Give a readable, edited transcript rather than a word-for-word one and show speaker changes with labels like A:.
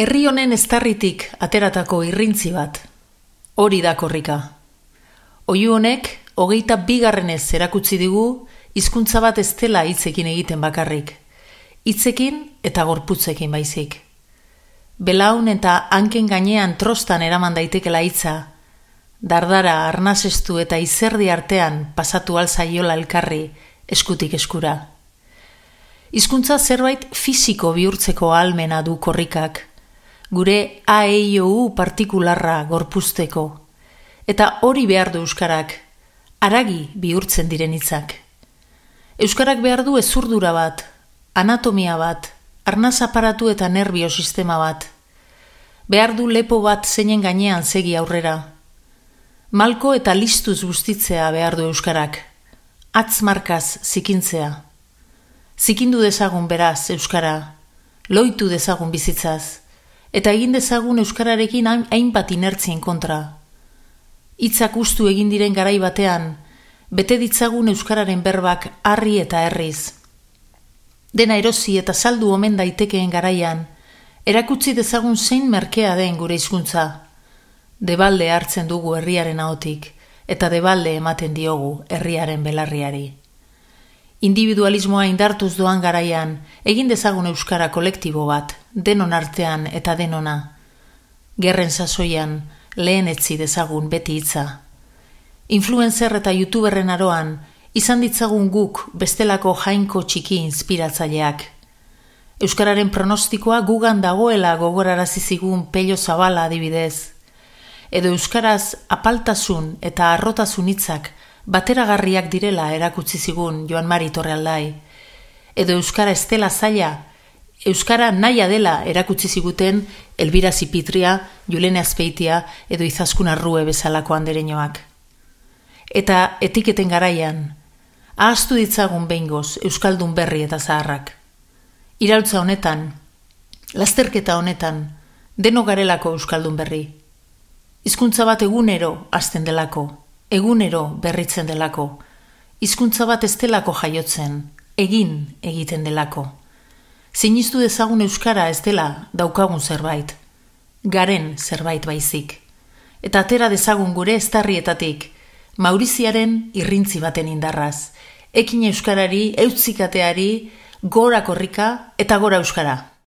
A: Herri honen eztarritik ateratako irrintzi bat. Hori da korrika. Oihu honek 22. erakutsi digu hizkuntza bat ez dela hitzekin egiten bakarrik. Hitzekin eta gorputzekin baizik. Belaun eta hanken gainean trostan eraman daitekela hitza. Dardara, arnasestu eta izerdi artean pasatu alzaiola elkarri eskutik eskura. Hizkuntza zerbait fisiko bihurtzeko ahalmena du korrikak. Gure AEIOU partikularra gorpuzteko. Eta hori behar du euskarak, haragi bihurtzen diren hitzak. Euskarak behar du hezurdura bat, anatomia bat, arnaz aparatu eta nerbio sistema bat. Behar du lepo bat zeinen gainean segi aurrera. Malko eta listuz bustitzea behar du euskarak, atzmarkaz zikintzea. Zikindu dezagun beraz euskara, loitu dezagun bizitzaz, eta egin dezagun euskararekin hainbat inertzien kontra. Hitzak ustu egin diren garai batean, bete ditzagun euskararen berbak harri eta herriz. Dena erosi eta saldu omen daitekeen garaian, erakutsi dezagun zein merkea den gure hizkuntza. Debalde hartzen dugu herriaren ahotik, eta debalde ematen diogu herriaren belarriari. Individualismoa indartuz doan garaian, egin dezagun euskara kolektibo bat, denon artean eta denona. Gerren sasoian, lehen etzi dezagun beti hitza. Influencer eta youtuberren aroan, izan ditzagun guk bestelako jainko txiki inspiratzaileak. Euskararen pronostikoa gugan dagoela gogorarazi zigun Pello Zabala adibidez. Edo euskaraz apaltasun eta harrotasun hitzak bateragarriak direla erakutsi zigun Joan Mari Torrealdai. Edo euskara ez dela zaila, euskara naia dela erakutsi ziguten Elbira Zipitria, Julene Azpeitia edo Izaskun Arrue bezalako andereñoak. Eta etiketen garaian, ahaztu ditzagun behingoz euskaldun berri eta zaharrak. Iraultza honetan, lasterketa honetan, deno garelako euskaldun berri. Hizkuntza bat egunero hasten delako, egunero berritzen delako. Hizkuntza bat ez delako jaiotzen, egin egiten delako. Sinistu dezagun euskara ez dela daukagun zerbait, garen zerbait baizik. Eta atera dezagun gure eztarrietatik, Mauriziaren irrintzi baten indarraz. Ekin euskarari, eutzikateari, gora korrika eta gora euskara.